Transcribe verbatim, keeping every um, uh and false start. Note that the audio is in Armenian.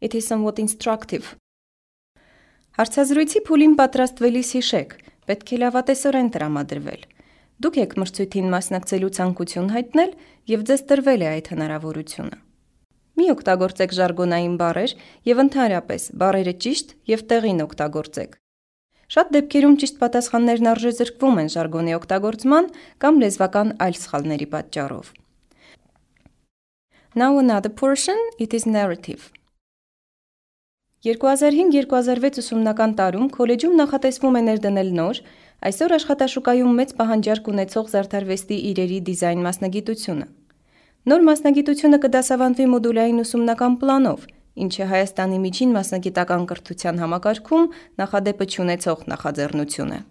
It is somewhat instructive. Հարցազրույցի փուլին պատրաստվելիս հիշեք, պետք է լավատեսորեն տրամադրվել։ Դուք եք մրցույթին մասնակցելու ցանկություն հայտնել և ձեզ տրվել է այդ հնարավորությունը։ Մի օգտագործեք ժարգոնային բառեր և ընդհանրապես բառերը ճիշտ և տեղին օգտագործեք։ Շատ դեպքերում ճիշտ պատասխաններն արժեզրկվում են ժարգոնի օգտագործման կամ լեզվական այլ սխալների պատճառով։ Now another portion, it is narrative. երկու հազար հինգ երկու հազար վեց ուսումնական տարում քոլեջում նախատեսվում է ներդնել նոր, այսօր աշխատաշուկայում մեծ պահանջարկ ունեցող զարդարվեստի իրերի դիզայն մասնագիտությունը։ Նոր մասնագիտությունը կդասավանդվի մոդուլային ուսումնական պլանով, ինչը Հայաստանի միջին մասնագիտական կրթության համակարգում նախադեպը չունեցող նախաձեռնություն է։